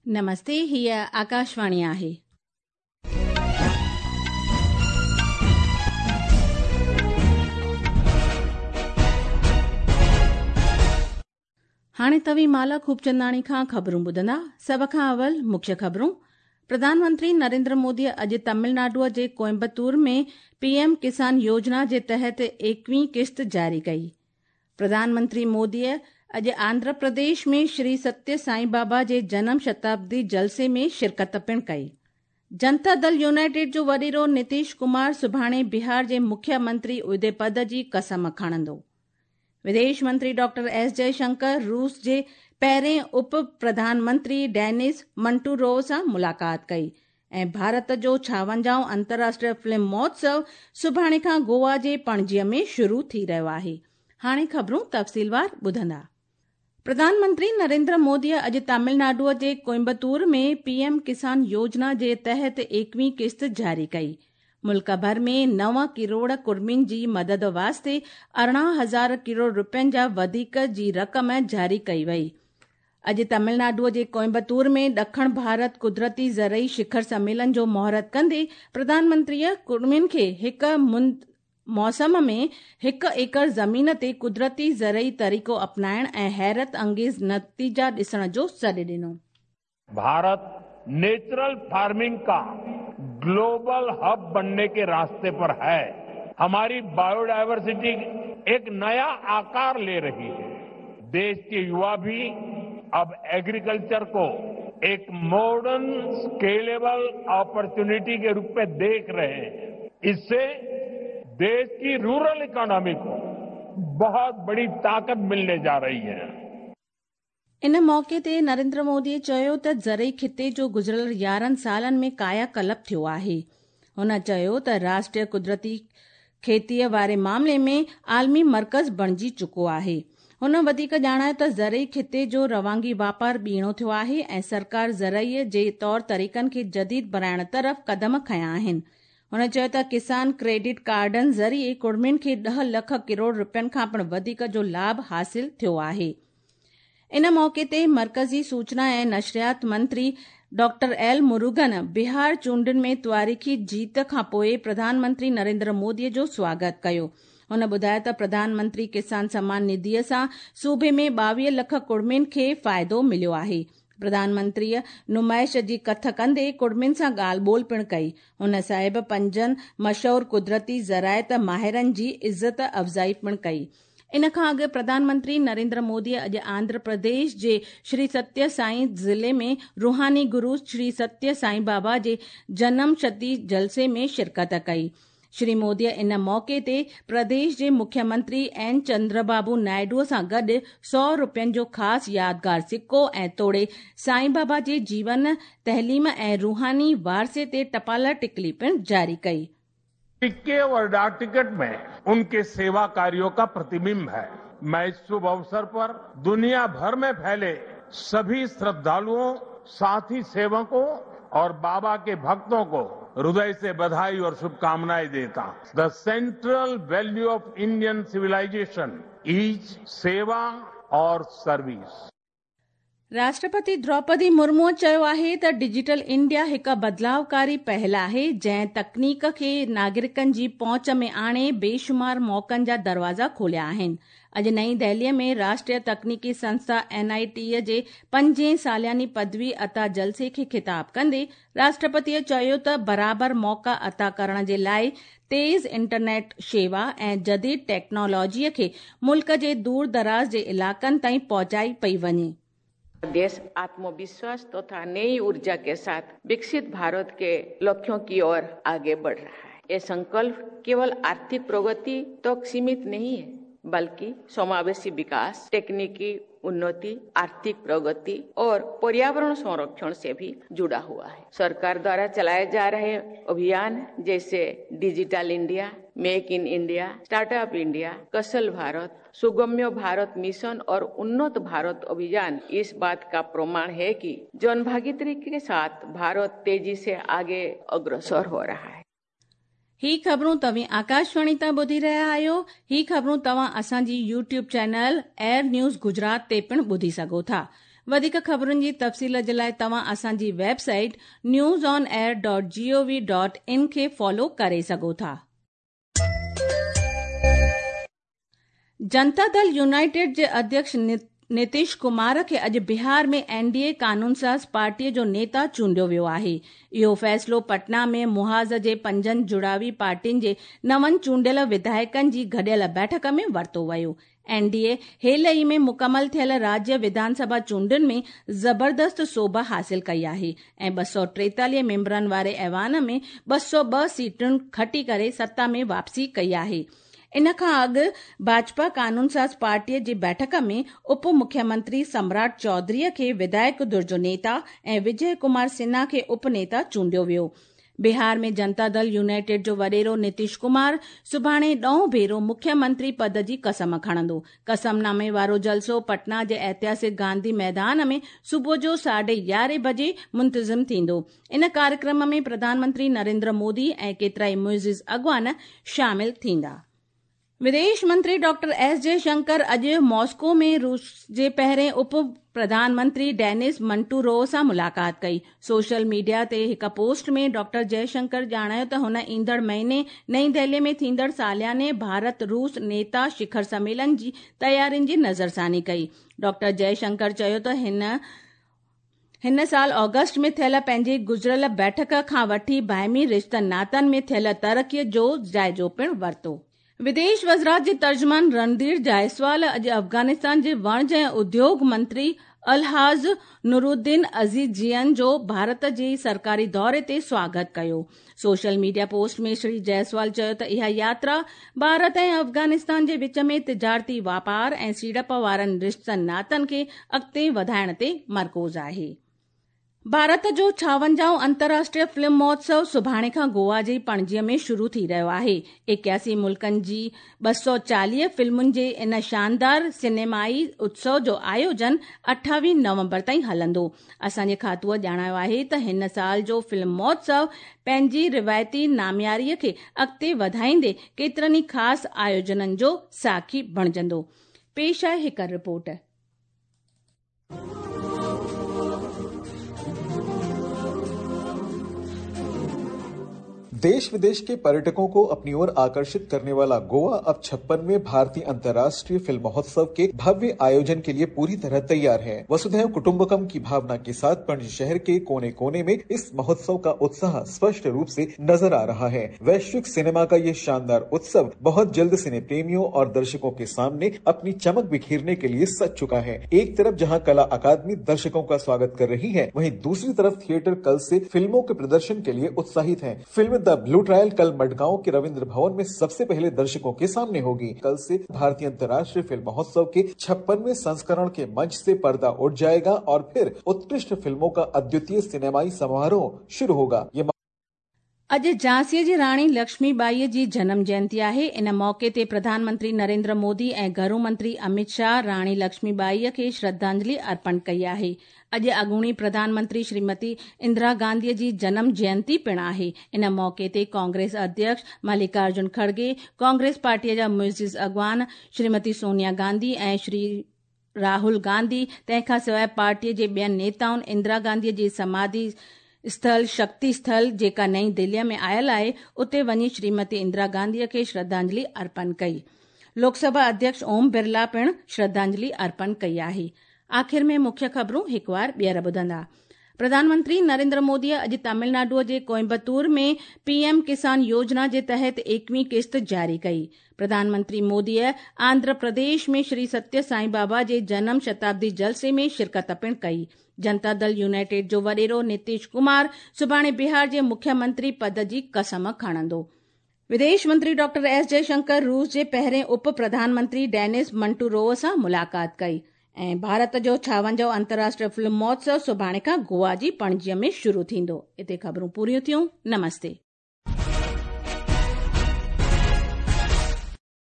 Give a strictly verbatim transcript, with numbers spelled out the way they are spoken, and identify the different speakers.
Speaker 1: नमस्ते, हीअ आकाशवाणी आहे। हाणे तव्हीं माला खूबचंदाणी खां ख़बरूं ॿुधंदा। सभ खां अवल मुख्य ख़बरूं। प्रधानमंत्री नरेंद्र मोदी अॼु तमिलनाडुअ जे कोयम्बतूर में पीएम किसान योजना जे तहत एकवीं किश्त जारी कई। प्रधानमंत्री मोदीअ अॼु आंध्र प्रदेश में श्री सत्य साईं बाबा जे जनम शताब्दी जलसे में शिरकत पिणु कई। जनता दल यूनाइटेड जो वॾेरो नीतीश कुमार सुभाणे बिहार जे मुख्यमंत्री उहिदे पद जी कसम खणंदो। विदेश मंत्री डॉक्टर एस जयशंकर रूस जे पहिरें उप प्रधानमंत्री डेनिस मंटूरोव सां मुलाक़ात कई। ऐं भारत जो छावंजाहों अंतर्राष्ट्रीय फिल्म महोत्सव सुभाणे खां गोवा जे पणजीअ में शुरू थी रहियो आहे। हाणे ख़बरूं तफ़सीलवार ॿुधंदा। प्रधानमंत्री नरेंद्र मोदीअ अॼु तमिलनाडुअ जे कोयम्बतूर में पीएम किसान योजना जे तहत एकवीं किश्त जारी कई। मुल्क भर में नव किरोड़ कुर्मियुनि जी मदद वास्ते अरिड़हं हज़ार किरोड़ रुपयनि जा वधीक जी रक़म जारी कई वई। अॼु तमिलनाडुअ जे कोयम्बतूर में ॾखण भारत कुदरती ज़रई शिखर सम्मेलन जो मुहूर्त कंदे प्रधानमंत्रीअ कुर्मियुनि खे हिकु मुंद मौसम में हिकु एकड़ ज़मीन ते कुदरती ज़रई तरीक़ो अपनाइण ऐं हैरत अंगेज़ नतीजा ॾिसण जो सॾु ॾिनो।
Speaker 2: भारत नेचुरल फार्मिंग का ग्लोबल हब बनने के रास्ते पर है। हमारी बायोडायवर्सिटी एक नया आकार ले रही है। देश के युवा भी अब एग्रीकल्चर को एक मॉडर्न स्केलेबल अपॉर्चुनिटी के रूप में देख रहे हैं। इससे देश की रूरल इकोनॉमी को बहुत बड़ी ताकत मिलने जा रही है।
Speaker 1: इन मौक़े ते नरेंद्र मोदीअ चयो त ज़रई खिते जो गुज़िरियल यारहं सालनि में कायाकल्प थियो आहे। हुन चयो त राष्ट्रीय कुदरती खेतीअ वारे मामले में आलमी मर्कज़ बणिजी चुको आहे। हुन वधीक ॼाणायो त ज़रई खिते जो रवांगी वापार ॿीणो थियो आहे ऐं सरकार ज़रई जे तौर तरीक़नि खे जदीद बणाइण तरफ़ कदम खयां आहिनि। हुन चयो त किसान क्रेडिट कार्डनि ज़रिए कुर्मियुनि खे ॾह लख किरोड़ रुपयनि खां पिणु वधीक जो लाभ हासिल थियो आहे। इन मौक़े ते मर्कज़ी सूचना ऐं नशरियात मंत्री डॉक्टर एल मुरुगन बिहार चूंडुनि में तारीख़ी जीत खां पोइ प्रधानमंत्री नरेंद्र मोदीअ जो स्वागत कयो। हुन ॿुधायो त प्रधानमंत्री किसान सम्मान निधीअ सां सूबे में ॿावीह लख कुर्मियुनि खे फ़ाइदो मिलियो आहे। प्रधानमंत्रीअ नुमाइश जी कथ कंदे कुर्मियुनि सां ॻाल्हि ॿोल पिणु कई। हुन साहिब पंजनि मशहूर कुदरती ज़राइत माहिरनि जी इज़त अफ़ज़ाई पिणु कई। इन खां अॻु प्रधानमंत्री नरेंद्र मोदीअ अॼु आंध्र प्रदेश जे श्री सत्य साईं ज़िले में रूहानी गुरू श्री सत्य साईं बाबा जे जनम शती जलसे में शिरकत कई। श्री मोदीअ इन मौक़े ते प्रदेश जे मुख्यमंत्री एन चंद्रबाबू नायडूअ सां गॾु सौ रुपयनि जो ख़ासि यादगार सिक्को ऐं तोड़े साईं बाबा जे जीवन, तइलीम ऐं रूहानी वारसे ते टपाल टिकली पिणु जारी कई।
Speaker 2: सिक्के और डाक टिकट में उनके सेवा कार्यों का प्रतिबिंब है। मैं इस शुभ अवसर पर दुनिया भर में फैले सभी श्रद्धालुओं, साथी सेवकों और बाबा के भक्तों को हृदय से बधाई और शुभकामनाएं देता हूं। The central value of Indian civilisation is सेवा और सर्विस।
Speaker 1: राष्ट्रपति द्रौपदी मुर्मू चयो आहे त डिजिटल इंडिया हिकु बदिलावकारी पहल आहे जंहिं तकनीक खे नागरिकनि जी पहुंच में आणे बेशुमार मौक़नि जा दरवाज़ा खोलिया आहिनि। अॼु नई दिल्लीअ में राष्ट्रीय तकनीकी संस्था एन I टी जे पंजें सालियानी पदवी अता जलसे खे ख़िताब कंदे राष्ट्रपतीअ चयो त बराबर मौक़ा अता करण जे लाइ तेज़ इंटरनेट शेवा ऐं जदीद टेक्नोलॉजीअ खे मुल्क जे दूर दराज़ जे इलाइक़नि ताईं पहुचाई पई वञे।
Speaker 3: देश आत्मविश्वास तथा नई ऊर्जा के साथ विकसित भारत के लक्ष्यों की ओर आगे बढ़ रहा है। ये संकल्प केवल आर्थिक प्रगति तक सीमित नहीं है, बल्कि समावेशी विकास, तकनीकी उन्नति, आर्थिक प्रगति और पर्यावरण संरक्षण से भी जुड़ा हुआ है। सरकार द्वारा चलाए जा रहे अभियान जैसे digital India, make in India, startup India, Kaushal Bharat, Sugamya Bharat mission और उन्नत भारत अभियान इस बात का प्रमाण है कि जनभागीदारी के साथ भारत तेजी से आगे अग्रसर हो रहा है।
Speaker 1: ही ख़बरूं तव्हीं आकाशवाणी तां ॿुधी रहिया आहियो। ही ख़बरूं तव्हां असांजी YouTube channel air news Gujarat ते पिणु ॿुधी सघो था। वधीक ख़बरुनि जी तफ़सील जे लाइ तव्हां असांजी website news on air dot gov dot in खे फॉलो करे सघो था। जनता दल यूनाइटेड जे अध्यक्ष नीतीश कुमार खे अॼु बिहार में एनडीए कानूनसाज़ पार्टीअ जो नेता चूंडियो वियो आहे। इहो फ़ैसिलो पटना में मुहाज़ जे पंजनि जुड़ावी पार्टियुनि जे नवनि चूंडियल विधायकनि जी गॾियल बैठक में वरितो वियो। एनडीए हेल ई में मुकमल थियल राज्य विधानसभा चूंडुनि में ज़बरदस्त सोभ हासिल कई आहे ऐं ॿ सौ टेतालीह मेंबरनि वारे ऐवान में ॿ सौ ॿ सीटुनि खटी करे सत्ता में वापसी कई आहे। इन खां अॻु भाजपा कानूनसाज़ पार्टीअ जी बैठक में उप मुख्यमंत्री सम्राट चौधरीअ खे विधायक धुर जो नेता ऐं विजय कुमार सिन्हा खे उप नेता चूंडियो वियो। बिहार में जनता दल यूनाइटेड जो वॾेरो नीतीश कुमार सुभाणे ॾहों भेरो मुख्यमंत्री पद जी कसम खणंदो। कसमनामे वारो जलसो पटना जे ऐतिहासिक गांधी मैदान में सुबुह जो साढे यारहें बजे मुंतज़िम थींदो। इन कार्यक्रम में प्रधानमंत्री नरेंद्र मोदी ऐं केतिरा ई मुइज़िज़ अॻवान शामिल थींदा। विदेश मंत्री डॉक्टर एस जयशंकर अॼु मॉस्को में रूस जे पहिरें उप प्रधानमंत्री डेनिस मंटूरोव सां मुलाक़ात कई। सोशल मीडिया ते हिकु पोस्ट में डॉक्टर जयशंकर ॼाणायो त हुन ईंदड़ महीने नई दिल्ली में थींदड़ सालियाने भारत रूस नेता शिखर सम्मेलन जी तयारियुनि जी नज़रसानी कई। डॉक्टर जयशंकर चयो त हिन हिन साल ऑगस्ट में थियल पंहिंजी गुज़िरियल बैठक खां वठी बाहिमी रिश्तनि नातनि में थियल तरक़ीअ जो जाइज़ो पिणु वरितो। विदेश वज़ारत जे तर्जुमान रणधीर जायसवाल अॼु अफ़गानिस्तान जे वणज ऐं उद्योग मंत्री अलहाज़ नूरुद्दीन अज़ीज़ियन जो भारत जे सरकारी दौरे ते स्वागत कयो। सोशल मीडिया पोस्ट में श्री जायसवाल चयो त इहा यात्रा भारत ऐं अफ़गानिस्तान जे विच में तिजारती वापार ऐं सीड़प वारनि रिश्तनि नातनि खे अॻिते वधाइण ते मरकूज़ आहे। भारत जो छावंजाहों अंतर्राष्ट्रीय फिल्म महोत्सव सुभाणे खां गोवा जे पणजीअ में शुरू थी रहियो आहे। एकासी मुल्कनि जी ॿ सौ चालीह फिल्मुनि जे इन शानदार सिनेमाई उत्सव जो आयोजन अठावीह नवंबर ताईं हलंदो। असांजे खातूअ ॼाणायो आहे त हिन साल जो फिल्म महोत्सव पंहिंजी रिवायती नामियारीअ खे अॻिते वधाईंदे केतिरनि ई ख़ासि आयोजननि जो साखी बणिजंदो। पेश आहे हिकु रिपोर्ट।
Speaker 4: देश विदेश के पर्यटकों को अपनी ओर आकर्षित करने वाला गोवा अब छप्पनवें भारतीय अंतर्राष्ट्रीय फिल्म महोत्सव के भव्य आयोजन के लिए पूरी तरह तैयार है। वसुधैव कुटुंबकम की भावना के साथ पणजी शहर के कोने कोने में इस महोत्सव का उत्साह स्पष्ट रूप से नजर आ रहा है। वैश्विक सिनेमा का ये शानदार उत्सव बहुत जल्द सिने प्रेमियों और दर्शकों के सामने अपनी चमक बिखेरने के लिए सज चुका है। एक तरफ जहाँ कला अकादमी दर्शकों का स्वागत कर रही है, वहीं दूसरी तरफ थिएटर कल से फिल्मों के प्रदर्शन के लिए उत्साहित है। फिल्म the blue trial कल मडगांव के रविंद्र भवन में सबसे पहले दर्शकों के सामने होगी। कल से भारतीय अंतर्राष्ट्रीय फिल्म महोत्सव के छप्पनवें संस्करण के मंच से पर्दा उठ जाएगा और फिर उत्कृष्ट फिल्मों का अद्वितीय सिनेमाई समारोह शुरू होगा। ये
Speaker 1: अॼु झांसीअ जी राणी लक्ष्मीबाईअ जी जनम जयंती आहे। इन मौक़े ते प्रधानमंत्री नरेंद्र मोदी ऐं घरू मंत्री अमित शाह राणी लक्ष्मीबाईअ खे श्रद्धांजलि अर्पण कई आहे। अॼु अॻूणी प्रधानमंत्री श्रीमती इंदिरा गांधीअ जी जनम जयंती पिणु आहे। इन मौक़े ते कांग्रेस अध्यक्ष मल्लिकार्जुन खड़गे, कांग्रेस पार्टीअ जा मुइज़िज़ अॻवान श्रीमती सोनिया गांधी ऐं श्री राहुल गांधी, तंहिंखां सवाइ पार्टीअ जे ॿियनि नेताउनि इंदिरा गांधीअ जी समाधि स्थल शक्ति स्थल जेका नई दिल्लीअ में आयल आहे, उते वञी श्रीमती इंदिरा गांधीअ खे श्रद्धांजलि अर्पण कई। लोकसभा अध्यक्ष ओम बिरला पिणु श्रद्धांजलि अर्पण कई आहे। आख़िर में मुख्य ख़बरूं हिकु वार ॿीहर ॿुधंदा। प्रधानमंत्री नरेंद्र मोदीअ अॼु तमिलनाडुअ जे कोयम्बतूर में पीएम किसान योजना जे तहत एकवीं किस्त जारी कई। प्रधानमंत्री मोदीअ आंध्र प्रदेश में श्री सत्य साईं बाबा जे जनम शताब्दी जलसे में शिरकत पिणु कई। जनता दल यूनाइटेड जो वॾेरो नीतीश कुमार सुभाणे बिहार जे मुख्यमंत्री पद जी कसम खणंदो। विदेश मंत्री डॉक्टर एस जयशंकर रूस जे पहिरें उप प्रधानमंत्री डेनिस मंटूरोव सां मुलाक़ात कई। ऐं भारत जो छावंजाहों अंतर्राष्ट्रीय फिल्म महोत्सव सुभाणे खां गोवा जी पणजीअ में शुरू थींदो। हिते ख़बरूं पूरियूं थियूं। नमस्ते।